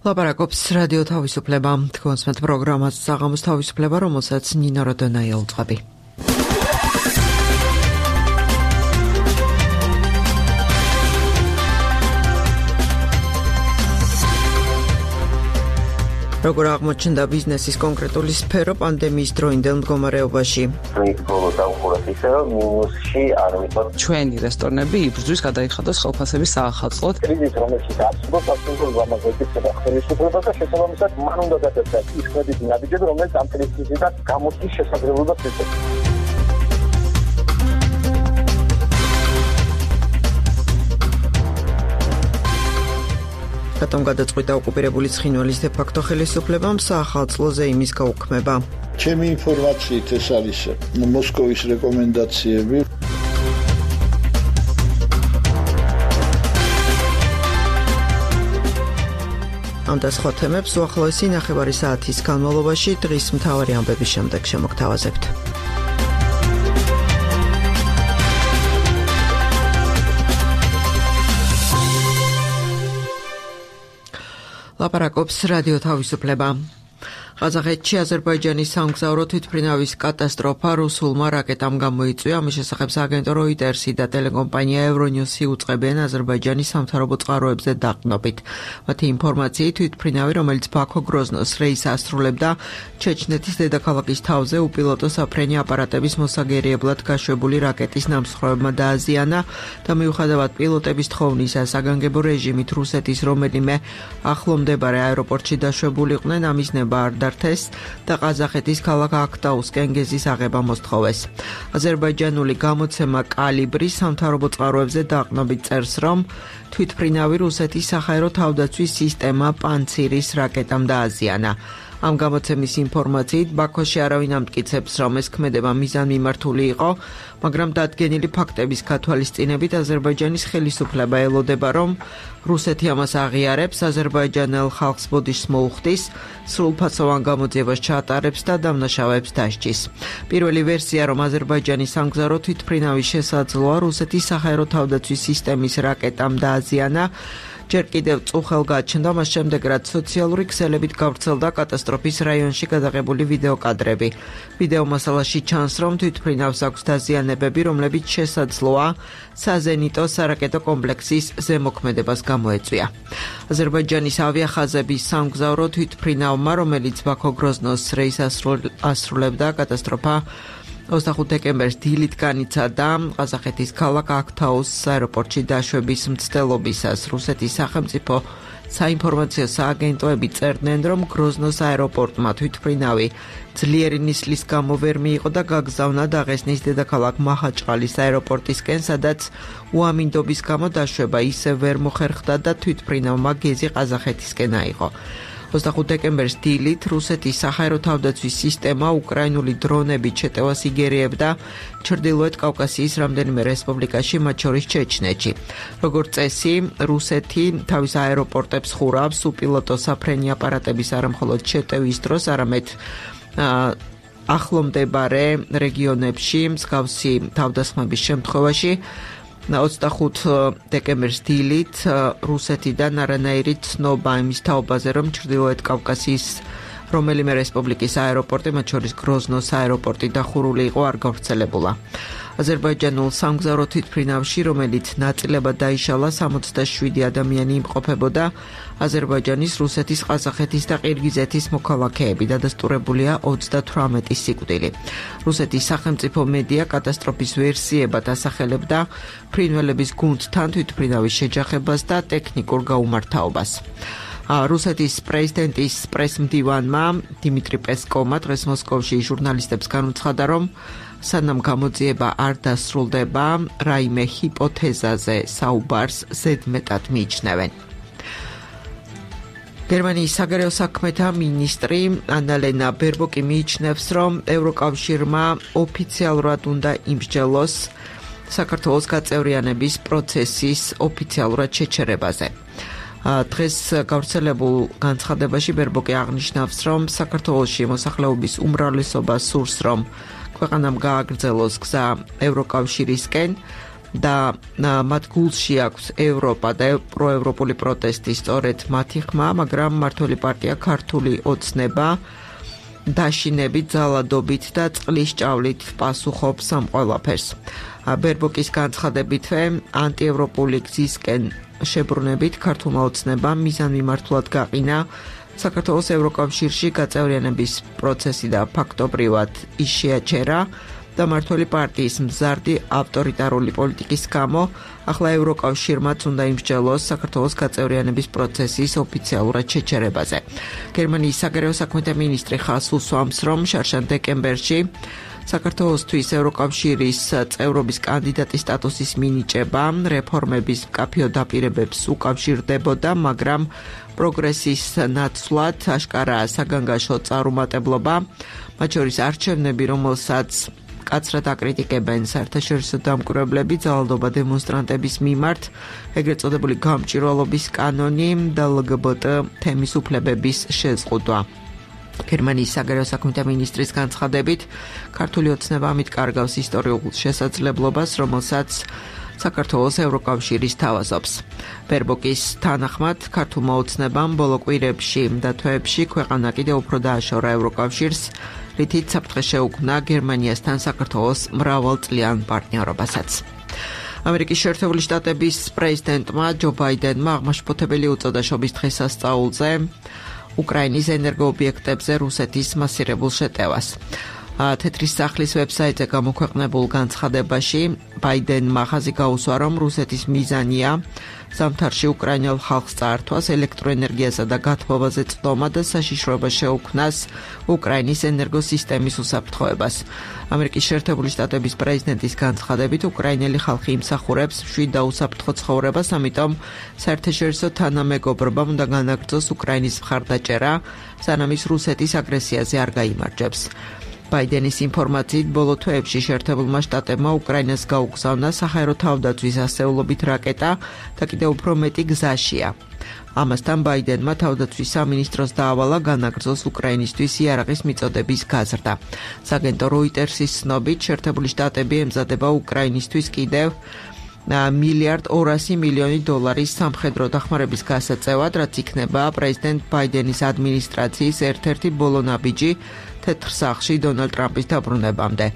ლაპარაკობს რადიო თავისუფლება. თქვენს პროგრამას საღამოს თავისუფლება, რომელსაც ნინო როდონაი ელწვები. როგორ აღმოჩნდა ბიზნესის კონკრეტული სფერო პანდემიის დროინდელ მდგომარეობაში? ჩვენი რესტორნები იბრძვის გადაიხადოს ხელფასების საახალწლოდ. კრიზისი, რომელშიც არსებობს აბსოლუტურ გამაგრებისა და ხელისუფლებას და შესაბამისად მან უნდა გადაწყვეტა ის კრედიტი ნაბიჯები, რომელიც ამ კრიზისიდან გამოსვლის შესაძლებლობას იძლევა. რატომ გადაწყვიტა ოკუპირებული ცხინვალის დე-ფაქტო ხელისუფლებამ საახალწლოზე იმის გაუქმება? ჩემი ინფორმაციით ეს არის მოსკოვის რეკომენდაციები. ამ და სხვა თემებს უახლოესი ნახევარი საათის განმავლობაში დღის მთავარი ამბების შემდეგ შემოგთავაზებთ. ლაპარაკობს რადიო თავისუფლება. ყაზახეთში აზერბაიჯანის სამგზავრო თვითმფრინავის კატასტროფა რუსულმა რაკეტამ გამოიწვია. ამის შესახებ სააგენტო როიტერსი და ტელეკომპანია ევრონიუსი უწყებენ აზერბაიჯანის სამთავრობო წყაროებზე დაყრდნობით. მათი ინფორმაციით თვითმფრინავი, რომელიც ბაქო-გროზნოს რეისს ასრულებდა, ჩეჩნეთის დედაქალაქის თავზე უპილოტო საფრენი აპარატების მოსაგერიებლად გაშვებული რაკეტის ნამსხვრევებმა დააზიანა და მიუხედავად პილოტების თხოვნისა საგანგებო რეჟიმით რუსეთის რომელიმე ახლო მდებარე აეროპორტში დაშვებულიყვნენ, ამის ნება არ დართეს და ყაზახეთის ქალაქ აქტაუსკენ გეზის აღება მოსთხოვეს. აზერბაიჯანული გამოცემა კალიბრი სამთავრობო წყაროებზე დაყრდნობით წერს, რომ თვითმფრინავი რუსეთის საჰაერო თავდაცვის სისტემა პანცირის რაკეტამ დააზიანა. ამ გამოცემის ინფორმაციით ბაქოში არავინ ამტკიცებს, რომ ეს ქმედება მიზანმიმართული იყო, მაგრამ დადგენილი ფაქტების გათვალისწინებით აზერბაიჯანის ხელისუფლება ელოდება, რომ რუსეთი ამას აღიარებს, აზერბაიჯანელ ხალხს ბოდიშს მოუხდის, სრულფასოვან გამოძიებას ჩაატარებს და დამნაშავეებს დასჯის. პირველი ვერსია, რომ აზერბაიჯანის სამგზავრო თვითმფრინავის შესაძლოა რუსეთის საჰაერო თავდაცვის სისტემის რაკეტამ დააზიანა, ჯერ კიდევ წუხელ გაჩნდა, მას შემდეგ რაც სოციალური ქსელებით გავრცელდა კატასტროფის რაიონში გადაღებული ვიდეო კადრები. ვიდეო მასალაში ჩანს, რომ თვითმფრინავს აქვს დაზიანებები, რომლებიც შესაძლოა საზენიტო სარაკეტო კომპლექსის ზემოქმედებას გამოეწვია. აზერბაიჯანის ავიახაზების სამგზავრო თვითმფრინავმა, რომელიც ბაქო-გროზნოს რეისს ასრულებდა, კატასტროფა 25 დეკემბერს დილით განიცადა ყაზახეთის ქალაქ აქტაუსკის აეროპორტში დაშვების მცდელობისას. რუსეთის სახელმწიფო საინფორმაციო სააგენტოები წერდნენ, რომ გროზნოს აეროპორტმა თვითმფრინავი ძლიერი ნისლის გამო ვერ მიიღო და გაგზავნა დაღესტნის დედაქალაქ მაჰაჩყალის აეროპორტისკენ, სადაც უამინდობის გამო დაშვება ისევ ვერ მოხერხდა და თვითმფრინავმა გეზი ყაზახეთისკენ აიღო. 25 დეკემბერს დილით რუსეთის საჰაერო თავდაცვის სისტემა უკრაინული დრონებით შეტევას იგერიებდა ჩრდილოეთ კავკასიის რამდენიმე რესპუბლიკაში, მათ შორის ჩეჩნეთში. როგორც წესი, რუსეთი თავის აეროპორტებს ხურავს უპილოტო საფრენი აპარატების არამხოლოდ შეტევის დროს, არამედ ახლო მდებარე რეგიონებში მსგავსი თავდასხმების შემთხვევაში. 25 დეკემბერს დილით რუსეთიდან არანაირი ცნობა იმის თაობაზე, რომ ჩრდილოეთ კავკასიის რომელიმე რესპუბლიკის აეროპორტი, მათ შორის გროზნოს აეროპორტი დახურული იყო, არ გავრცელებულა. აზერბაიჯანულ სამგზავრო თვითმფრინავში, რომელიც ნაწილებად დაიშალა, 67 ადამიანი იმყოფებოდა. აზერბაიჯანის, რუსეთის, ყაზახეთის და ყირგიზეთის მოქალაქეები, დადასტურებულია 38 სიკვდილი. რუსეთის სახელმწიფო მედია კატასტროფის ვერსიებად ასახელებდა ფრინველების გუნდთან თვითმფრინავის შეჯახებას და ტექნიკურ გაუმართავობას. რუსეთის პრეზიდენტის პრესმდივანმა დიმიტრი პესკოვმა დღეს მოსკოვში ჟურნალისტებს განუცხადა, რომ სანამ გამოძიება არ დასრულდება, რაიმე ჰიპოთეზაზე საუბარს ზედმეტად მიიჩნევენ. გერმანიის საგარეო საქმეთა მინისტრი ანალენა ბერბოკი მიიჩნევს, რომ ევროკავშირმა ოფიციალურად უნდა იმსჯელოს საქართველოს გაწევრიანების პროცესის ოფიციალურად შეჩერებაზე. დღეს გავრცელებულ განცხადებაში ბერბოკი აღნიშნავს, რომ საქართველოში მოსახლეობის უმრავლესობა სურს, რომ ქვეყანამ გააგრძელოს გზა ევროკავშირისკენ და მათ გულში აქვს ევროპა და პროევროპული პროტესტი სწორედ მათი ხმა, მაგრამ მმართველი პარტია ქართული ოცნება დაშინებით, ძალადობით და წყლის ჭავლით პასუხობს ამ ყველაფერს. ბერბოკის განცხადებით, ანტიევროპული გზისკენ შებრუნებით ქართულმა ოცნებამ მიზანმიმართულად გაყინა საქართველოს ევროკავშირში გაწევრიანების პროცესი და ფაქტობრივად ის შეაჩერა და მმართველი პარტიის მზარდი ავტორიტარული პოლიტიკის გამო ახლა ევროკავშირმაც უნდა იმსჯელოს საქართველოს გაწევრიანების პროცესის ოფიციალურად შეჩერებაზე. გერმანიის საგარეო საქმეთა მინისტრი ხაზს უსვამს, რომ შარშან დეკემბერში საქართველოსთვის ევროკავშირის წევრობის კანდიდატის სტატუსის მინიჭება რეფორმების მკაფიო დაპირებებს უკავშირდებოდა, მაგრამ პროგრესის ნაცვლად აშკარაა საგანგაშო წარუმატებლობა, მათ შორის არჩევნები, რომელსაც კაცრად აკრიტიკებენ საერთაშორისო დამკვირვებლები, ძალადობა დემონსტრანტების მიმართ, ეგრეთ წოდებული გამჭვირვალობის კანონი და LGBT თემის უფლებების შეზღუდვა. გერმანიის საგარეო საქმეთა მინისტრის განცხადებით, ქართული ოცნება ამით კარგავს ისტორიულ შესაძლებლობას, რომელსაც საქართველოს ევროკავშირის თავაზობს. ბერბოკის თანახმად, ქართულმა ოცნებამ ბოლო კვირებში და თვეებში ქვეყანა კიდევ უფრო დააშორა ევროკავშირს, რითიც საფრთხე შეუქმნა გერმანიასთან საქართველოს მრავალწლიან პარტნიორობასაც. ამერიკის შეერთებული შტატების პრეზიდენტმა ჯო ბაიდენმა აღმაშფოთებელი უწოდა შობის დღესასწაულზე უკრაინის ენერგოობიექტებზე რუსეთის მასირებულ შეტევას. თეთრი სახლის ვებსაიტზე გამოქვეყნებულ განცხადებაში ბაიდენმა ხაზი გაუსვა, რომ რუსეთის მიზანია ზამთარში უკრაინელ ხალხს წაართვას ელექტროენერგიასა და გათბობაზე წვდომა და საშიშროება შეუქმნას უკრაინის ენერგოსისტემის უსაფრთხოებას. ამერიკის შეერთებული შტატების პრეზიდენტის განცხადებით, უკრაინელი ხალხი იმსახურებს მშვიდ და უსაფრთხო ცხოვრებას, ამიტომ საერთაშორისო თანამეგობრობამ უნდა განაგრძოს უკრაინის მხარდაჭერა, სანამ ის რუსეთის აგრესიაზე არ გაიმარჯვებს. ბაიდენის ინფორმაციით, ბოლო თვეებში შეერთებულმა შტატებმა უკრაინას გაუგზავნა საჰაერო თავდაცვის ასეულობით რაკეტა და კიდევ უფრო მეტი გზაშია. ამასთან ბაიდენმა თავდაცვის სამინისტროს დაავალა განაგრძოს უკრაინისთვის იარაღის მიწოდების გაზრდა. სააგენტო როიტერსის ცნობით, შეერთებული შტატები ემზადება უკრაინისთვის კიდევ $1.2 მილიარდი სამხედრო დახმარების გასაწევად, რაც იქნება პრეზიდენტ ბაიდენის ადმინისტრაციის ერთ-ერთი ბოლო ნაბიჯი თეთრ სახლში დონალდ ტრამპის დაბრუნებამდე.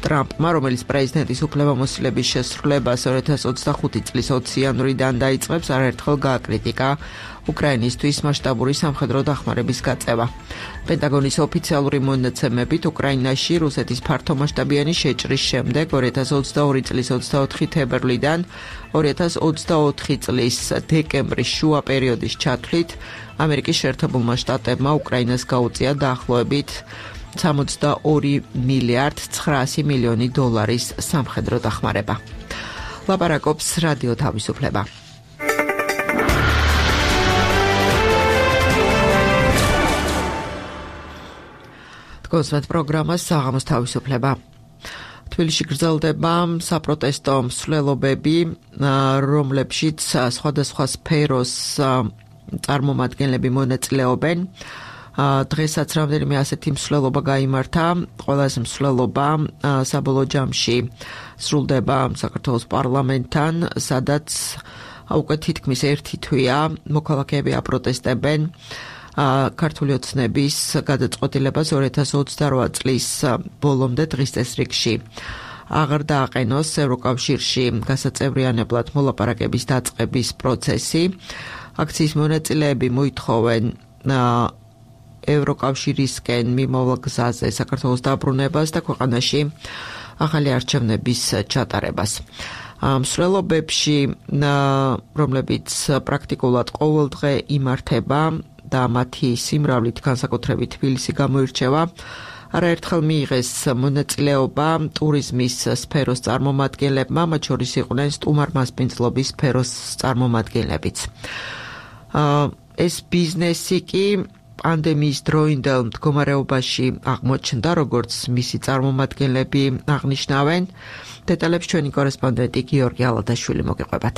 ტრამპმა, რომელიც პრეზიდენტის უფლებამოსილების შესრულებას 2025 წლის 20 იანვრიდან დაიწყებს, არაერთხელ გააკრიტიკა უკრაინისთვის მასშტაბური სამხედრო დახმარების გაწევა. პენტაგონის ოფიციალური მონაცემებით, უკრაინაში რუსეთის ფართომასშტაბიანი შეჭრის შემდეგ 2022 წლის 24 თებერვლიდან 2024 წლის დეკემბრის შუა პერიოდის ჩათვლით, ამერიკის შეერთებულმა შტატებმა უკრაინას გაუწია დაახლოებით $62.9 მილიარდი სამხედრო დახმარება. ლაპარაკობს რადიო თავისუფლება. კონსვერტ პროგრამას საღამოს თავისუფლება. თბილისში გრძელდება საპროტესტო მსვლელობები, რომლებშიც სხვადასხვა სფეროს წარმომადგენლები მონაწილეობენ. დღესაც რამდენიმე ასეთი მსვლელობა გაიმართა. ყველაზე მსვლელობა საბოლოო ჯამში სრულდება საქართველოს პარლამენტთან, სადაც უკვე თითქმის ერთი თვეა მოქალაქეები აპროტესტებენ ქართული ოცნების გადაწყვეტილებას 2028 წლის ბოლომდე დღის წესრიგში აღარ დააყენოს ევროკავშირში გასაწევრიანებლად მოლაპარაკების დაწყების პროცესი. აქციის მონაწილეები მოითხოვენ ევროკავშირისკენ მიმავალ გზაზე საქართველოს დაბრუნებას და ქვეყანაში ახალი არჩევნების ჩატარებას. მსვლელობებში, რომლებიც პრაქტიკულად ყოველდღე იმართება და მათი სიმრავლით განსაკუთრებით თბილისი გამოირჩევა, არაერთხელ მიიღეს მონაწილეობა ტურიზმის სფეროს წარმომადგენლებმა, მათ შორის იყვნენ სტუმარ-მასპინძლობის სფეროს წარმომადგენლებიც. ეს ბიზნესი კი პანდემიის დროინდელ მდგომარეობაში აღმოჩნდა, როგორც მისი წარმომადგენლები აღნიშნავენ. დეტალებს ჩვენი კორესპონდენტი გიორგი ალადაშვილი მოგიყვებათ.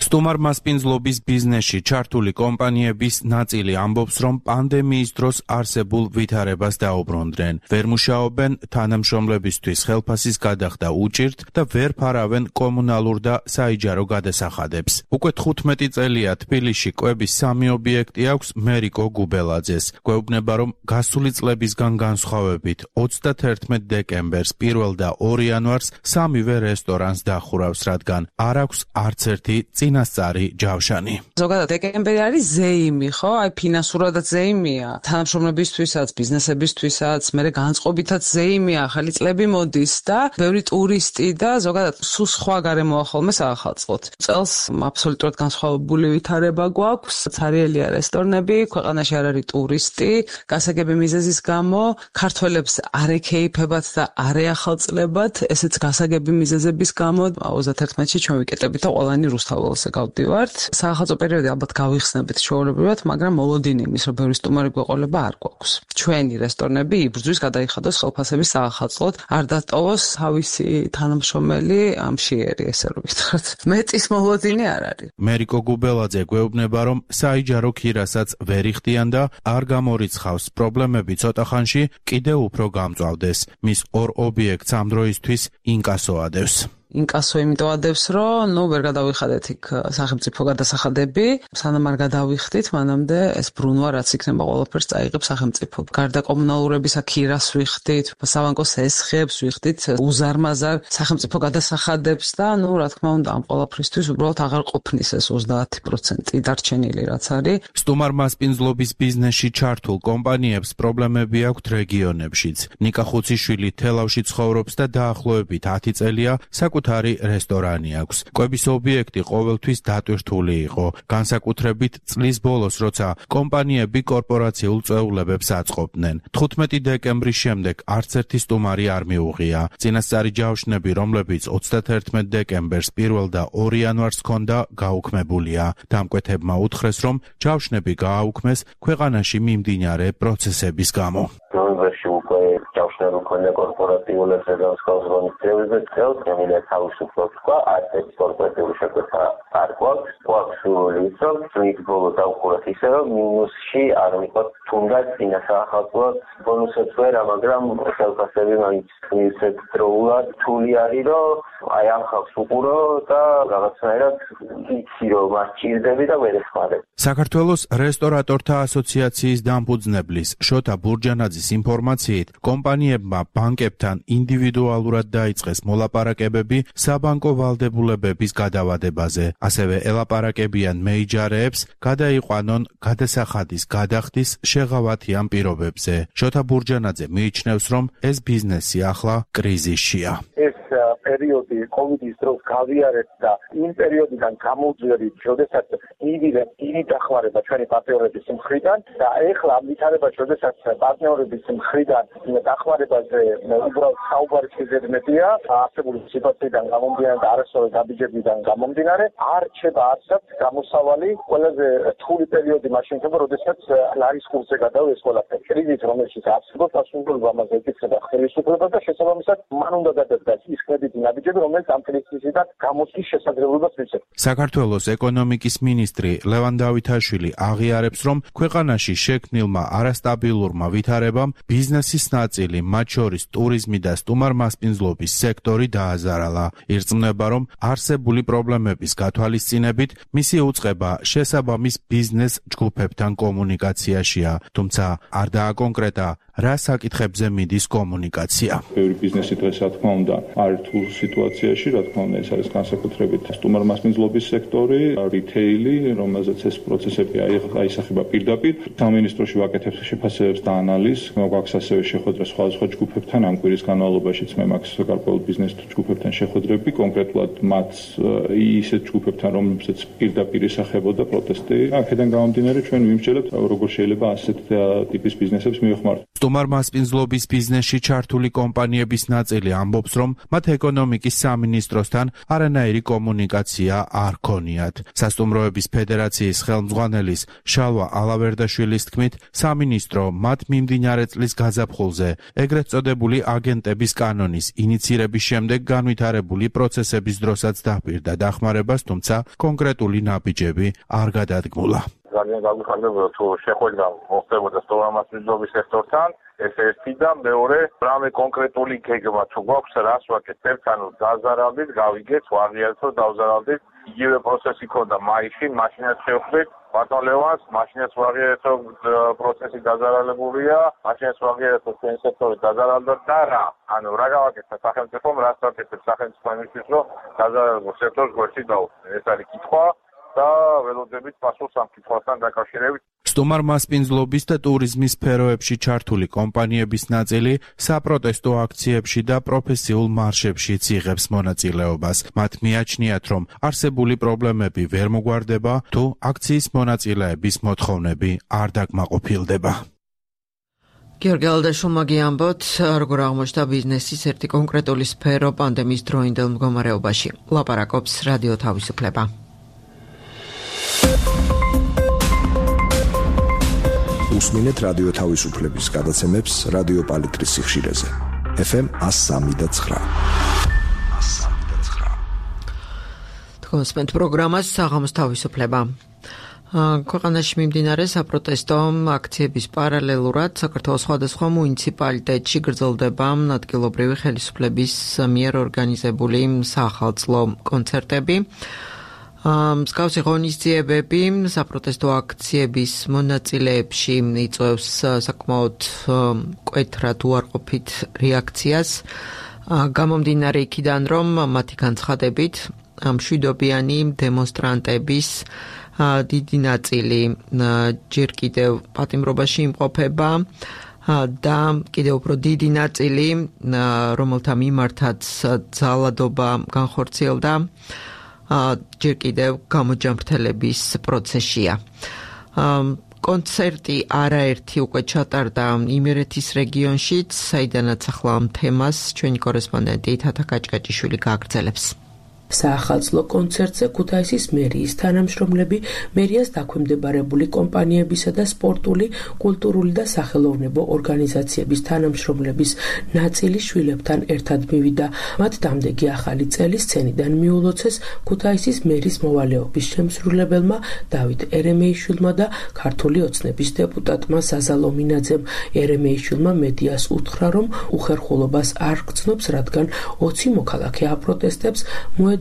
სტუმარ-მასპინძლობის ბიზნესში ჩართული კომპანიების ნაწილი ამბობს, რომ პანდემიის დროს არსებულ ვითარებას დაუბრუნდნენ. ვერ მუშაობენ, თანამშრომლებისთვის ხელფასის გადახდა უჭირთ და ვერ ფარავენ კომუნალურ და საიჯარო გადასახადებს. უკვე 15 წელია თბილისში კვების 3 ობიექტი აქვს მერიკო გუბელაძეს. გვეუბნება, რომ გასული წლებისგან განსხვავებით 31 დეკემბერს 1 და 2 იანვარს 3-ვე რესტორანს დახურავს, რადგან არ აქვს არც ერთი წინასწარი ჯავშანი. ზოგადად დეკემბერი არის ზეიმი, ხო? აი ფინანსურადაც ზეიმია, თანამშრომლებისთვისაც, ბიზნესებისთვისაც, მე განწყობითაც ზეიმია, ახალი წლები მოდის და ბევრი ტურისტი და ზოგადად სულ სხვა გარემოა ხოლმე საახალწლოდ. წელს აბსოლუტურად განსხვავებული ვითარება გვაქვს, ცარიელია რესტორნები, ქვეყანაში არ არის ტურისტი, გასაგები მიზეზის გამო ქართველებს არ ექეიფებათ და არ ეახალწლებათ, ესეც გასაგები მიზეზების გამო 31-ში ჩვენ ვიკეტებით და ყველანი რუსთაველზე გავდივართ. საახალწლო პერიოდი ალბათ გავიხსნებით ჩვეულებრივად, მაგრამ მოლოდინი იმის, რომ ბევრი სტუმარი გვეყოლება არ გვაქვს. ჩვენი რესტორნები იბრძვის გადაიხადოს ხელფასების საახალწლოდ, არ დატოვოს თავისი თანამშრომელი ამშიერი, ესე რომ ვიტყვათ. მეტის მოლოდინი არ არის. მერიკო გუბელაძე გვეუბნება, რომ საიჯარო ქირასაც ვერ იხდიან და არ გამორიცხავს პრობლემები ცოტა ხანში კიდევ უფრო გამწვავდეს. მის 2 ობიექტს ამ დროისთვის ინკასო ადევს. ინკასო იმიტომ ადევს, რომ ვერ გადავიხადეთ იქ სახელმწიფო გადასახადები, სანამ არ გადავიხდით, მანამდე ეს ბრუნვა რაც იქნება ყველაფერს წაიღებს სახელმწიფო. გარდა კომუნალურებისა ქირას ვიხდით, საბანკოს ესხებს ვიხდით, უზარმაზარ სახელმწიფო გადასახადებს და რა თქმა უნდა ამ ყველაფრისთვის უბრალოდ აღარ ყოფნის ეს 30% დარჩენილი რაც არის. სტუმარ-მასპინძლობის ბიზნესში ჩართულ კომპანიებს პრობლემები აქვთ რეგიონებშიც. ნიკა ხუციშვილი თელავში ცხოვრობს და დაახლოებით 10 წელია საკუთარი რესტორანი აქვს. კვების ობიექტი ყოველთვის დატვირთული იყო, განსაკუთრებით წლის ბოლოს, როცა კომპანიები კორპორაციულ წვეულებებს აწყობდნენ. 15 დეკემბრის შემდეგ არც ერთი სტუმარი არ მიუღია. წინასწარი ჯავშნები, რომლებიც 31 დეკემბერს 1 და 2 იანვარს ჰქონდა, გაუქმებულია. დამკვეთებმა უთხრეს, რომ ჯავშნები გააუქმეს ქვეყანაში მიმდინარე პროცესების გამო. ნოემბერში უკვე ჯავშნები მქონდა კორპორატიულებს და განსხვავებული წევრებს, წელს თავისუფლად თქვა, არც ერთ კორპორატიული შეკვეთა არ გვაქვს. გვაქვს სურვილი, რომ წლის ბოლო დავხურათ ისე, რომ მინუსში არ ვიყოთ, თუნდაც წინასახალწლოდ ბონუსებს ვერა, მაგრამ ხელფასები მაინც ისეთ დროულად რთული არის, რომ აი ამ ხალხს უყურო და რაღაცნაირად იცი, რომ არ ჭირდები და ვერ ეხმარებ. საქართველოს რესტორატორთა ასოციაციის დამფუძნებლის შოთა ბურჯანაძის ინფორმაციით, კომპანიებმა ბანკებთან ინდივიდუალურად დაიწყეს მოლაპარაკებები საბანკო ვალდებულებების გადავადებაზე. ასევე ელაპარაკებიან მეიჯარეებს, გადაიყვანონ გადასახადის გადახდის შეღავათიან პირობებზე. შოთა ბურჯანაძე მიიჩნევს, რომ ეს ბიზნესი ახლა კრიზისშია. ეს პერიოდი კოვიდის დროს გავიარეთ და იმ პერიოდიდან გამოვძვერით, როდესაც იგი დახმარება ჩვენი პარტნიორების მხრიდან და ეხლა ამ ვითარებაში, როდესაც პარტნიორების მხრიდან დახმარებაზე უბრალოდ საუბარი შეგედმეტია, არსებული სიტუაციიდან გამომდინარე და არასწორი გაბიჯებიდან გამომდინარე, არ რჩება არსად გამოსავალი ყველაზე რთული პერიოდი მაშინ ხდება, როდესაც ლარის კურსზე გადავეს ყველაფერი. კრიზის რომელშიც არსებობს პასუხისმგებლობა ამაზე ეკითხება ხელისუფლებას და შესაბამისად მან უნდა გადადგას ის კრედიტი ნაბიჯები, რომელიც ამ კრიზისიდან გამოსვლის შესაძლებლობას მისცემს. საქართველოს ეკონომიკის მინისტრი ლევან დავითაშვილი აღიარებს, რომ ქვეყანაში შექმნილმა არასტაბილურმა ვითარებამ ბიზნესის ნაწილი, მათ შორის ტურიზმი და სტუმარ-მასპინძლობის სექტორი დააზარალა. ირწმუნება, რომ არსებული პრობლემების გათვალისწინებით მისი უწყება შესაბამის ბიზნეს ჯგუფებთან კომუნიკაციაშია, თუმცა არ დააკონკრეტა რა საკითხებზე მიდის კომუნიკაცია. ბევრი ბიზნესი დღეს რა თქმა უნდა არის რთულ სიტუაციაში, რა თქმა უნდა ეს არის განსაკუთრებით სტუმარ-მასპინძლობის სექტორი, რითეილი, რომელზეც ეს პროცესები აისახება პირდაპირ. სამინისტროში ვაკეთებს შეფასებებს და ანალიზს, გვაქვს ასევე შეხვედრა სხვადასხვა ჯგუფებთან, ამ კვირის განმავლობაშიც მე მაქვს გარკვეულ ბიზნეს ჯგუფებთან შეხვედრები, კონკრეტულად მათ ისეთ ჯგუფებთან, რომლებსაც პირდაპირ ისახებოდა პროტესტი. აქედან გამომდინარე ჩვენ ვიმსჯელებთ, როგორ შეიძლება ასეთ ტიპის ბიზნესებს მივეხმაროთ. სტუმარ მასპინძლობის ბიზნესში ჩართული კომპანიების ნაწილი ამბობს, რომ მათ ეკონომიკის სამინისტროსთან არანაირი კომუნიკაცია არ ქონიათ. სასტუმროების ფედერაციის ხელმძღვანელის შალვა ალავერდაშვილის თქმით, სამინისტრო მათ მიმდინარე წლის გაზაფხულზე ეგრეთ წოდებული აგენტების კანონის ინიცირების შემდეგ განვითარებული პროცესების დროსაც დაჰპირდა დახმარებას, თუმცა კონკრეტული ნაბიჯები არ გადადგმულა. ძალიან გაგვიხარდებოდა თუ შეხვედრა მოხდებოდა სტუმარ მასპინძლობის სექტორთან, ეს ერთი და მეორე, რამე კონკრეტული გეგმა თუ გვაქვს, რას ვაკეთებთ, ერთანო დაზარავდით, გავიგეთ, ვაღიარებთ, დავზარავდით. იგივე პროცესი ქონდა მაისში, მაშინაც შევხვდით ბატონ ლევანს, მაშინაც ვაღიარებთ, პროცესი დაზარალებულია, მაშინაც ვაღიარებთ, თქვენი სექტორი დაზარალდა და რა. ანუ რა გავაკეთეთ სახელმწიფომ, რას ვაკეთებთ სახელმწიფო იმისთვის, რომ დაზარალებულ სექტორს გვერდით დაუხსნათ. ეს არის კითხვა. და ველოდებით პასუხს ამ კითხვასთან დაკავშირებით. სტუმარ მასპინძლობის და ტურიზმის სფეროებში ჩართული კომპანიების ნაწილი საპროტესტო აქციებში და პროფესიულ მარშებშიც იღებს მონაწილეობას. მათ მიაჩნიათ, რომ არსებული პრობლემები ვერ მოგვარდება, თუ აქციის მონაწილეების მოთხოვნები არ დაკმაყოფილდება. გიორგი ალდაშულმა გიამბოთ, როგორ აღმოჩნდა ბიზნესის ერთი კონკრეტული სფერო პანდემიის დროინდელ მდგომარეობაში. ლაპარაკობს რადიო თავისუფლება. უსმინეთ რადიო თავისუფლების გადაცემებს რადიო პალიტრის სიხშირეზე. FM 103.9. თქვენს პროგრამას საღამოს თავისუფლება. ქვეყანაში მიმდინარე საპროტესტო აქციების პარალელურად საქართველოს სხვადასხვა მუნიციპალიტეტში გრძელდება ადგილობრივი ხელისუფლების მიერ ორგანიზებული საახალწლო კონცერტები. მსგავსი ღონისძიებები საპროტესტო აქციების მონაწილეებში იწვევს საკმაოდ მკვეთრად უარყოფით რეაქციას. გამომდინარე იქიდან, რომ მათი განცხადებით მშვიდობიანი დემონსტრანტების დიდი ნაწილი ჯერ კიდევ პატიმრობაში იმყოფება და კიდევ უფრო დიდი ნაწილი, რომელთა მიმართაც ძალადობა განხორციელდა, ჯერ კიდევ გამოჯამრთელების პროცესია. კონცერტი არაერთი უკვე ჩატარდა იმერეთის რეგიონშიც, საიდანაც ახლა ამ თემას ჩვენი კორესპონდენტი თათა კაჭკაჭიშვილი გააგრძელებს. საახალწლო კონცერტზე ქუთაისის მერიის თანამშრომლები, მერიას დაქვემდებარებული კომპანიებისა და სპორტული, კულტურული და სახელოვნებო ორგანიზაციების თანამშრომლების ნაწილი შვილებთან ერთად მივიდა. მათ დამდეგი ახალი წელი სცენიდან მიულოცეს ქუთაისის მერის მოვალეობის შემსრულებელმა დავით ერემეიშვილმა და ქართული ოცნების დეპუტატმა საზალო მინაძემ. ერემეიშვილმა მედიას უთხრა, რომ უხერხულობას არ გრძნობს, რადგან 20 მოქალაქე აპროტესტებს,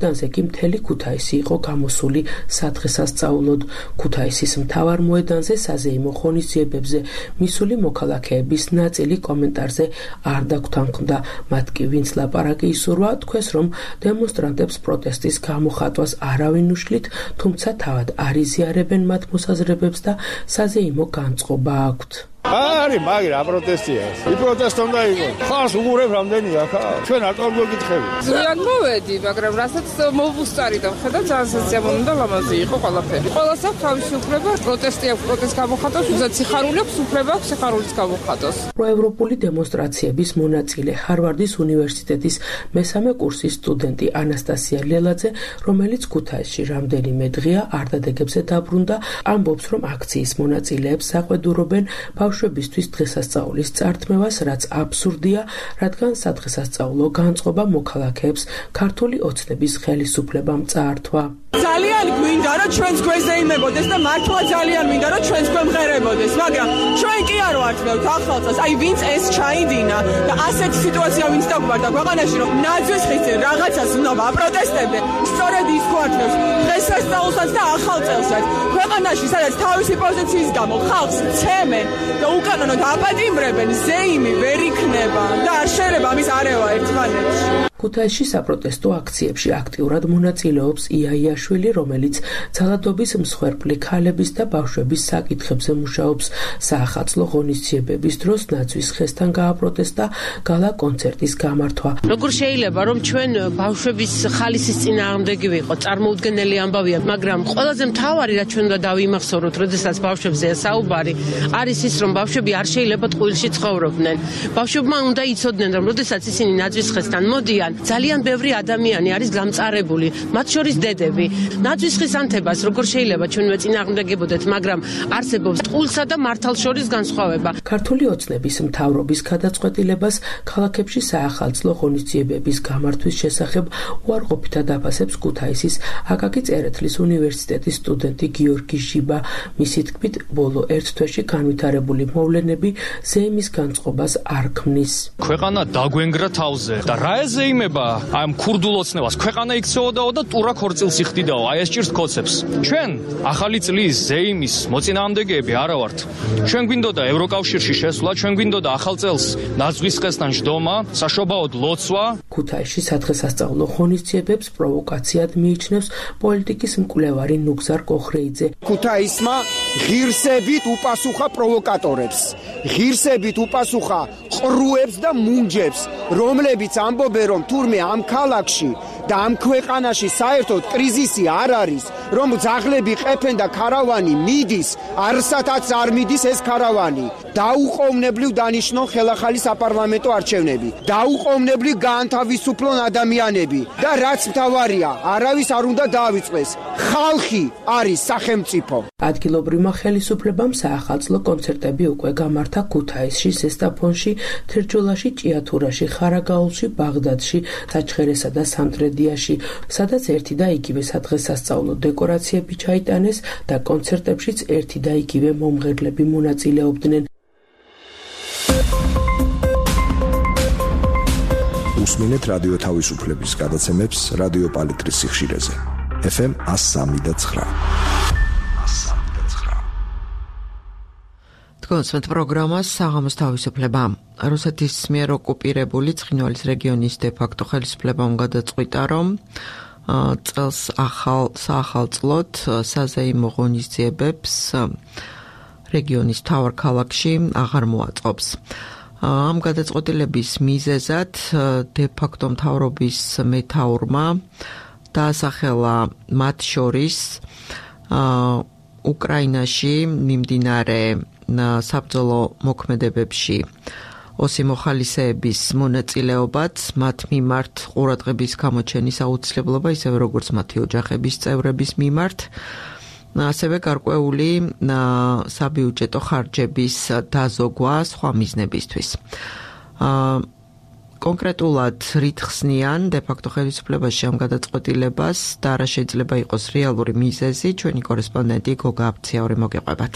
მოედანზე კი მთელი ქუთაისი იყო გამოსული სადღესასწაულოდ. ქუთაისის მთავარ მოედანზე საზეიმო ღონისძიებებზე მისული მოქალაქეების ნაწილი კომენტარზე არ დაგვრთანხმდა. მათ კი ვინც ლაპარაკი ისურვა, თქვეს, რომ დემონსტრანტებს პროტესტის გამოხატვას არავინ უშლით, თუმცა თავად არ იზიარებენ მათ მოსაზრებებს და საზეიმო განწყობა აქვთ. არის, მაგრამ აპროტესტია. იპროტესტ უნდა იყოს. ხალხს უგურებ რამდენია ხა? ჩვენ ატომ გეკითხები. ზიან მოვედი, მაგრამ რასაც მოვუსწარი და ხედავ ძალიან სოციალური და ლამაზი იყო ყველაფერი. ყველას აქვს თავისი უფლება, პროტესტი აქვს, პროტესტ გამოხატავს, უზად სიხარული აქვს, უფლება აქვს სიხარულის გამოხატოს. პროევროპული დემონსტრაციების მონაწილე ჰარვარდის უნივერსიტეტის მესამე კურსის სტუდენტი ანასტასია ლელაძე, რომელიც ქუთაისში რამდენიმე დღეა არდადეგებზე დაბრუნდა, ამბობს, რომ აქციის მონაწილეებს საყვედურობენ ბავშვებისთვის დღესასწაულის წართმევას, რაც აბსურდია, რადგან სადღესასწაულო განწყობა მოქალაქეებს ქართული ოცნების ხელისუფლებამ წაართვა. ძალიან გვინდა რომ ჩვენს გვერდზე იმებოდეს და მართლა ძალიან მინდა რომ ჩვენს გვემღერებოდეს, მაგრამ ჩვენ კი არ ვარწმევთ ახალწელს, აი ვინც ეს ჩაიდინა და ასეთი სიტუაცია ვინც დაგვარდა ქვეყანაში, რომ ნაძვის ხისზე რაღაცას უნდა აპროტესტებდე, სწორედ ის გვართმევს დღესასწაულსაც და ახალწელსაც. ქვეყანაში სადაც თავისი პოზიციის გამო ხალხს ცემენ და უკანონოდ აპატიმრებენ, ზეიმი ვერ იქნება და არ შეიძლება ამის არევა ერთმანეთში. ქუთაისში საპროტესტო აქციებში აქტიურად მონაწილეობს იაიაშვილი, რომელიც ძალადობის მსხვერპლი ქალების და ბავშვების საკითხებზე მუშაობს. საახალწლო ღონისძიებების დროს ნაძვის ხესთან გააპროტესტა გალა კონცერტის გამართვა. როგორ შეიძლება რომ ჩვენ ბავშვების ხალისის წინააღმდეგი ვიყოთ, წარმოუდგენელი ამბავია, მაგრამ ყველაზე მთავარი რაც ჩვენ უნდა დავიმახსოვროთ, როდესაც ბავშვებზეა საუბარი, არის ის, რომ ბავშვები არ შეიძლება ტყუილში ცხოვრობდნენ. ბავშვებმა უნდა იცოდნენ, რომ როდესაც ისინი ნაძვის ხესთან მოდიან, ძალიან ბევრი ადამიანი არის გამწარებული, მათ შორის დედები. ნაძვის ხის ანთებას როგორ შეიძლება ჩვენვე წინააღმდეგებოდეთ, მაგრამ არსებობს ტყუილსა და მართალს შორის განსხვავება. ქართული ოცნების მთავრობის გადაწყვეტილებას ქალაქებში საახალწლო ღონისძიებების გამართვის შესახებ უარყოფითად აფასებს ქუთაისის აკაკი წერეთლის უნივერსიტეტის სტუდენტი გიორგი ჟიბა. მისი თქმით, ბოლო ერთ თვეში განვითარებული მოვლენები ზეიმის განწყობას არ ქმნის. ქვეყანა დაგვენგრა თავზე და რა ეზეიმება აი ამ ქურდულ ოცნებას? ქვეყანა იქცეოდაო და ტურა ქორწილს იხდიდაო, აი ეს ჭირს კოცებს. ჩვენ ახალი წლის ზეიმის მოწინააღმდეგეები არა ვართ. ჩვენ გვინდოდა ევროკავშირში შესვლა, ჩვენ გვინდოდა ახალ წელს ნაძვის ხესთან ჯდომა, საშობაოდ ლოცვა. ქუთაისში სადღესასწაულო ღონისძიებებს პროვოკაციად მიიჩნევს პოლიტიკის მკვლევარი ნუგზარ კოხრეიძე. ქუთაისმა ღირსებით უპასუხა პროვოკატორებს, ღირსებით უპასუხა ყრუებს და მუნჯებს, რომლებიც ამბობენ, რომ თურმე ამ ქალაქში და ამ ქვეყანაში საერთოდ კრიზისი არ არის, რომ ძაღლები ყეფენ და ქარავანი მიდის, არსათაც არ მიდის ეს ქარავანი. დაუყოვნებლივ დანიშნონ ხელახალი საპარლამენტო არჩევნები, დაუყოვნებლივ გაანთავისუფლონ ადამიანები და რაც მთავარია, არავის არ უნდა დაავიწყდეს. ხალხი არის სახელმწიფო. ადგილობრივმა ხელისუფლებამ საახალწლო კონცერტები უკვე გამართა ქუთაისში, ზესტაფონში, თერჯოლაში, ჭიათურაში, ხარაგაულში, ბაღდადში, საჩხერესა და სამტრედიაში, სადაც ერთი და იგივე სადღესასწაულო დეკორაციები ჩაიტანეს და კონცერტებშიც ერთი და იგივე მომღერლები მონაწილეობდნენ. უსმინეთ რადიო თავისუფლების გადაცემებს რადიო პალიტრის სიხშირეზე. FM 103.9. თქვენს პროგრამას საღამოს თავისუფლება. რუსეთის მიერ ოკუპირებული ცხინვალის რეგიონის დე-ფაქტო ხელისუფლებამ გადაწყვიტა, რომ წელს საახალწლოდ საზეიმო ღონისძიებებს რეგიონის მთავარ ქალაქში აღარ მოაწყობს. ამ გადაწყვეტილების მიზეზად დე-ფაქტო მთავრობის მეთაურმა დაასახელა მათ შორის უკრაინაში მიმდინარე საბრძოლო მოქმედებებში ოსი მოხალისეების მონაწილეობაც, მათ მიმართ ყურადღების გამოჩენის აუცილებლობა, ისევე როგორც მათი ოჯახების წევრების მიმართ, ასევე გარკვეული საბიუჯეტო ხარჯების დაზოგვა სხვა მიზნებისთვის. კონკრეტულად რით ხსნიან დე-ფაქტო ხელისუფლებაში ამ გადაწყვეტილებას და რა შეიძლება იყოს რეალური მიზეზი, ჩვენი კორესპონდენტი გოგა აფციაური მოგეყვებათ.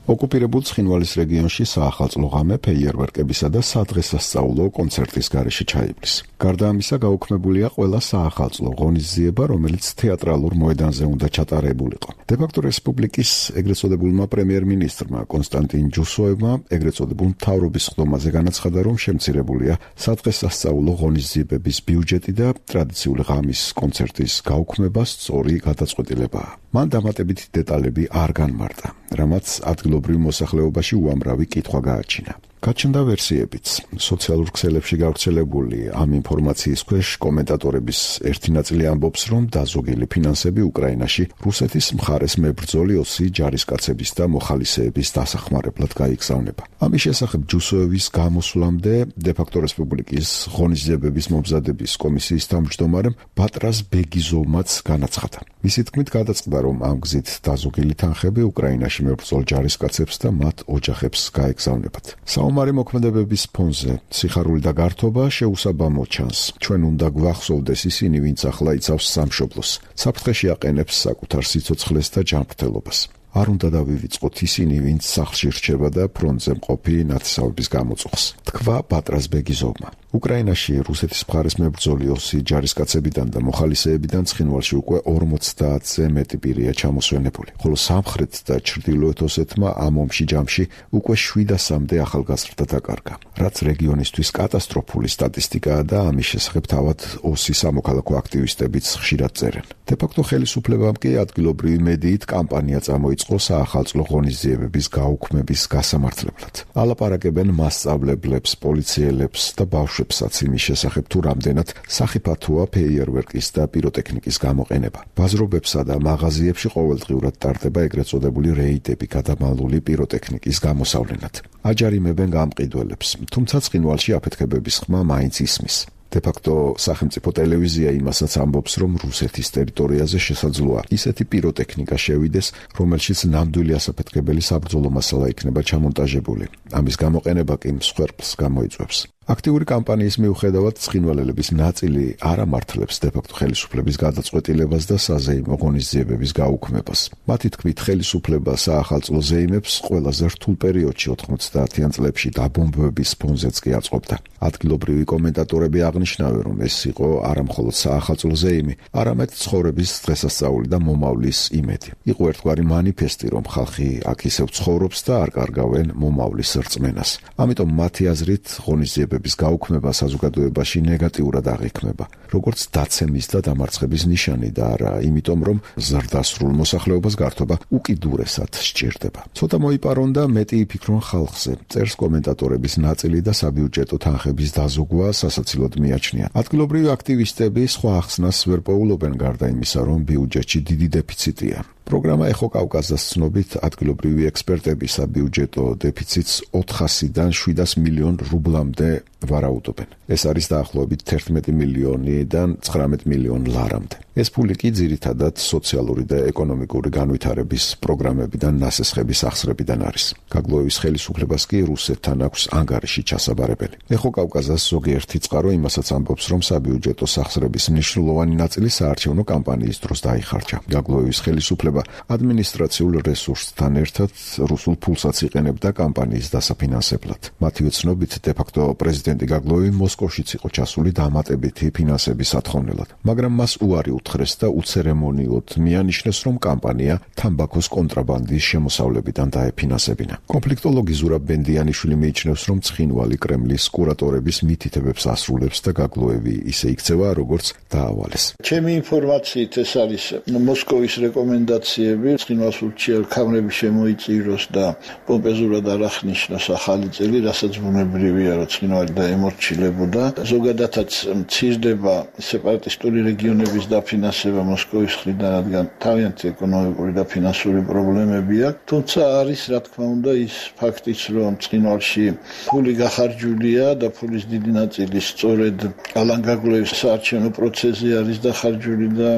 ოკუპირებულ ცხინვალის რეგიონში საახალწლო ღამე ფეიერვერკებისა და სადღესასწაულო კონცერტის გარეშე ჩაივლის. გარდა ამისა, გაუქმებულია ყველა საახალწლო ღონისძიება, რომელიც თეატრალურ მოედანზე უნდა ჩატარებულიყო. დე-ფაქტო რესპუბლიკის ეგრეთ წოდებულმა პრემიერ-მინისტრმა კონსტანტინ ჯუსოევმა ეგრეთ წოდებულ მთავრობის ხდომაზე განაცხადა, რომ შემცირებულია სადღესასწაულო ღონისძიებების ბიუჯეტი და ტრადიციული ღამის კონცერტის გაუქმება სწორი გადაწყვეტილებაა. მან დამატებითი დეტალები არ განმარტა, რამაც ადგილობრივ მოსახლეობაში უამრავი კითხვა გააჩინა. გაჩნდა ვერსიებიც. სოციალურ ქსელებში გავრცელებული ამ ინფორმაციის ქვეშ კომენტატორების ერთი ნაწილი ამბობს, რომ დაზოგილი ფინანსები უკრაინაში რუსეთის მხარეს მებრძოლი ოსი ჯარისკაცების და მოხალისეების დასახმარებლად გაიგზავნება. ამის შესახებ ჯუსოევის გამოსვლამდე დე-ფაქტო რესპუბლიკის ღონისძიებების მომზადების კომისიის თავმჯდომარემ ბატრას ბეგიზოვმაც განაცხადა. მისი თქმით გადაწყდა, რომ ამ გზით დაზოგილი თანხები უკრაინაში მებრძოლ ჯარისკაცებს და მათ ოჯახებს გაეგზავნებათ. საომარი მოქმედებების ფონზე სიხარული და გართობა შეუსაბამო ჩანს. ჩვენ უნდა გვახსოვდეს ისინი, ვინც ახლა იცავს სამშობლოს, საფრთხეში აყენებს საკუთარ სიცოცხლეს და ჯანმრთელობას. არ უნდა დავივიწყოთ ისინი, ვინც სახლში რჩება და ფრონტზე მყოფი ნათესავების გამოწვევს. თქვა ბატრას ბეგიზოვმა. უკრაინაში რუსეთის მხარეს მებრძოლი ოსი ჯარისკაცებიდან და მოხალისეებიდან ცხინვალში უკვე 50-ზე მეტი პირია ჩამოსვენებული, ხოლო სამხრეთ და ჩრდილოეთ ოსეთმა ამ ომში ჯამში უკვე 700-მდე ახალგაზრდა დაკარგა. რაც რეგიონისთვის კატასტროფული სტატისტიკაა და ამის შესახებ თავად ოსის სამოქალაქო აქტივისტებიც ხშირად წერენ. დე-ფაქტო ხელისუფლებამ კი ადგილობრივი მედიით კამპანია წამოიწყო საახალწლო ღონისძიებების გაუქმების გასამართლებლად. ალაპარაკებენ მასწავლებლებს, პოლიციელებს და ბავშვებსაც იმის შესახებ, თუ რამდენად სახიფათოა ფეიერვერკის და პიროტექნიკის გამოყენება. ბაზრობებსა და მაღაზიებში ყოველდღიურად ტარდება ეგრეთ წოდებული რეიდები გადამალული პიროტექნიკის გამოსავლენად. აჯარიმებენ გამყიდველებს, თუმცა ცხინვალში აფეთქებების ხმა მაინც ისმის. დე-ფაქტო სახელმწიფო ტელევიზია იმასაც ამბობს, რომ რუსეთის ტერიტორიაზე შესაძლოა ისეთი პიროტექნიკა შევიდეს, რომელშიც ნამდვილი ასაფეთქებელი საბრძოლო მასალა იქნება ჩამონტაჟებული. ამის გამოყენება კი მსხვერპლს გამოიწვევს. აქტიური კამპანიის მიუხედავად ცხინვალელების ნაწილი არ ამართლებს დე-ფაქტო ხელისუფლების გადაწყვეტილებას და საზეიმო ღონისძიებების გაუქმებას. მათი თქმით, ხელისუფლება საახალწლო ზეიმებს ყველაზე რთულ პერიოდში 90-იან წლებში დაბომბვების ფონზეც კი აწყობდა. ადგილობრივი კომენტატორები აღნიშნავენ, რომ ეს იყო არა მხოლოდ საახალწლო ზეიმი, არამედ ცხოვრების დღესასწაული და მომავლის იმედი. იყო ერთგვარი მანიფესტი, რომ ხალხი აქ ისევ ცხოვრობს და არ კარგავენ მომავლის რწმენას. ამიტომ მათი აზრით ღონისძიებების გაუქმება საზოგადოებაში ნეგატიურად აღიქმება, როგორც დაცემის და დამარცხების ნიშანი და არა იმიტომ, რომ ზრდასრულ მოსახლეობას გართობა უკიდურესად სჭირდება. ცოტა მოიპარონ და მეტი იფიქრონ ხალხზე, წერს კომენტატორების ნაწილი და საბიუჯეტო თანხების დაზოგვა სასაცილოდ მიაჩნია. ადგილობრივი აქტივისტები სხვა ახსნას ვერ პოულობენ გარდა იმისა, რომ ბიუჯეტში დიდი დეფიციტია. პროგრამა ეხო კავკასიას ცნობით ადგილობრივი ექსპერტები საბიუჯეტო დეფიციტს 400-დან 700 მილიონ რუბლამდე ვარაუდობენ. ეს არის დაახლოებით 11 მილიონიდან 19 მილიონ ლარამდე. ეს ფული კი ძირითადად სოციალური და ეკონომიკური განვითარების პროგრამებიდან ნასესხების ახსრებიდან არის. გაგლოევის ხელისუფლებას კი რუსეთთან აქვს ანგარიში ჩასაბარებელი. ეხო კავკასიას ზოგიერთი წყარო იმასაც ამბობს, რომ საბიუჯეტო სახსრების მნიშვნელოვანი ნაწილი საარჩევნო კამპანიის დროს დაიხარჯა. გაგლოევის ხელისუფლება ადმინისტრაციულ რესურსთან ერთად რუსულ ფულსაც იყენებდა კამპანიის დასაფინანსებლად. მათივე ცნობით, დე-ფაქტო პრეზიდენტი გაგლოევი მოსკოვშიც იყო ჩასული დამატებითი ფინანსების ათხოვნელად, მაგრამ მას უარი უთხრეს და უცერემონიოდ მიანიშნეს, რომ კამპანია თამბაქოს კონტრაბანდის შემოსავლებიდან დაეფინანსებინა. კონფლიქტოლოგი ზურაბ ბენდიანიშვილი მიიჩნევს, რომ ცხინვალი კრემლის კურატორების მითითებებს ასრულებს და გაგლოევი ისე იქცევა, როგორც დაავალეს. ჩემი ინფორმაციით ეს არის მოსკოვის რეკომენდაციები, ცხინვალსულში კამრები შემოიწიროს და პომპეზურად არ აღნიშნოს ახალი წელი, რასაც ბუნებრივია, რომ ცხინვალი დაემორჩილებოდა. ზოგადადაც მცირდება სეპარატისტული რეგიონების დაფინანსება მოსკოვის მხრიდან, რადგან თავიანთი ეკონომიკური და ფინანსური პრობლემები აქვს. თუმცა არის, რა თქმა უნდა, ის ფაქტიც, რომ ცხინვალში ფული გახარჯულია და ფულის დიდი ნაწილი სწორედ ალან გაგლოევის საარჩევნო პროცესზე არის დახარჯული და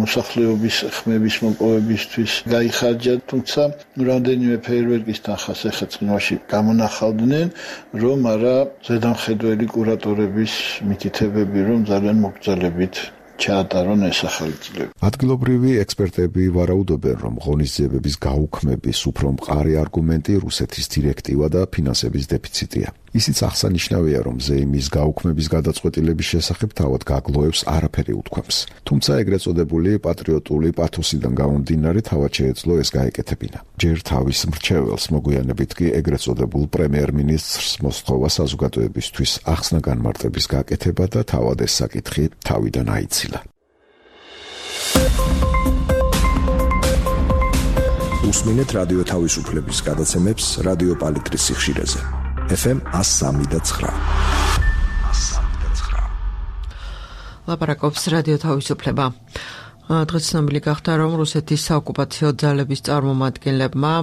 მოსახლეობის ხმების მოპოვებისთვის გაიხარჯა. თუმცა რამდენიმე ფეიერვერკის თანხას ახლა ცხინვალში გამონახავდნენ, რომ არა ზედამხედველი კურატორების მითითებები, რომ ძალიან მოგრძალებით ჩაატარონ ეს ახალი წლები. ადგილობრივი ექსპერტები ვარაუდობენ, რომ ღონისძიებების გაუქმების უფრო მყარი არგუმენტი რუსეთის დირექტივა და ფინანსების დეფიციტია. ისიც აღსანიშნავია, რომ ზეიმის გაუქმების გადაწყვეტილების შესახებ თავად გაგლოევს არაფერი უთქვამს. თუმცა ეგრეთ წოდებული პატრიოტული პათოსიდან გამომდინარე თავად შეეძლო ეს გაეკეთებინა. ჯერ თავის მრჩეველს, მოგვიანებით კი ეგრეთ წოდებულ პრემიერ-მინისტრს მოსთხოვა საზოგადოებისთვის ახსნა განმარტების გაკეთება და თავად ეს საკითხი თავიდან აიცილა. უსმინეთ რადიო თავისუფლების გადაცემებს რადიო პალიტრის სიხშირეზე. FM 103.9. ლაპარაკობს რადიო თავისუფლება. დღეს ცნობილი გახდა, რომ რუსეთის საოკუპაციო ძალების წარმომადგენლებმა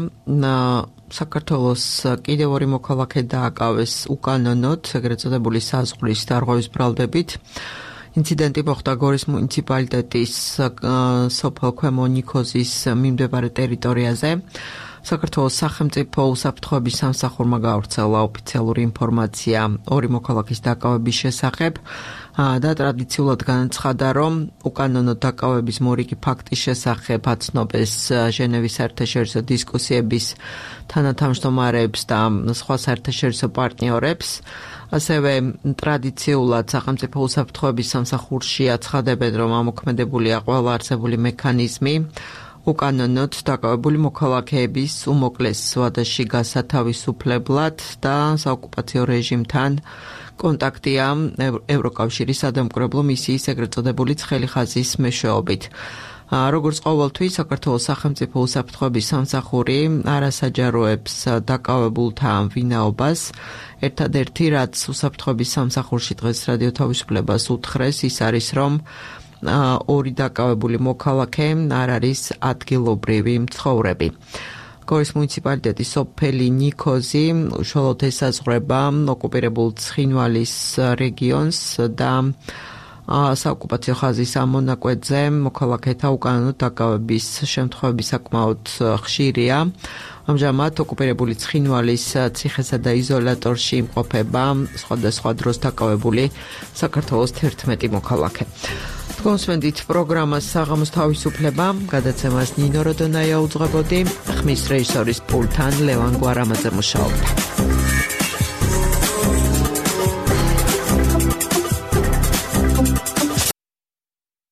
საქართველოს კიდევ ორი მოქალაქე დააკავეს უკანონოდ, ეგრეთ წოდებული საზღვრის დარღვევის ბრალდებით. ინციდენტი მოხდა გორის მუნიციპალიტეტის სოფელ ქვემო ნიქოზის მიმდებარე ტერიტორიაზე. საქართველოს სახელმწიფო უსაფრთხოების სამსახურმა გაავრცელა ოფიციალური ინფორმაცია ორი მოქალაქის დაკავების შესახებ და ტრადიციულად განაცხადა, რომ უკანონოდ დაკავების მორიგი ფაქტის შესახებ აცნობეს ჟენევის საერთაშორისო დისკუსიების თანათავმჯდომარეებს და სხვა საერთაშორისო პარტნიორებს. ასევე ტრადიციულად სახელმწიფო უსაფრთხოების სამსახურში აცხადებენ, რომ ამოქმედებულია ყველა არსებული მექანიზმი უკანონოდ დაკავებული მოქალაქეების უმოკლეს ვადაში გასათავისუფლებლად და საოკუპაციო რეჟიმთან კონტაქტია ევროკავშირის სადამკვირვებლო მისიის ეგრეთ წოდებული ცხელი ხაზის მეშვეობით. როგორც ყოველთვის საქართველოს სახელმწიფო უსაფრთხოების სამსახური არასაჯაროებს დაკავებულთა ვინაობას. ერთადერთი რაც უსაფრთხოების სამსახურში დღეს რადიო თავისუფლებას უთხრეს ის არის რომ ორი დაკავებული მოქალაქე არ არის ადგილობრივი მცხოვრები. გორის მუნიციპალიტეტის სოფელი ნიქოზი უშუალოდ ესაზღვრება ოკუპირებულ ცხინვალის რეგიონს და საოკუპაციო ხაზის ამონაკვეთზე მოქალაქეთა უკანონო დაკავების შემთხვევები საკმაოდ ხშირია. ამჟამად ოკუპირებული ცხინვალის ციხესა და იზოლატორში იმყოფება სხვადასხვა დროს დაკავებული საქართველოს 11 მოქალაქე. თქვენსვენდით პროგრამას საღამოს თავისუფლება, გადაცემას ნინო როდონაია უძღვებოდი, ხმის რეჟისორის პულტთან ლევან გვარამაძე მუშაობდა.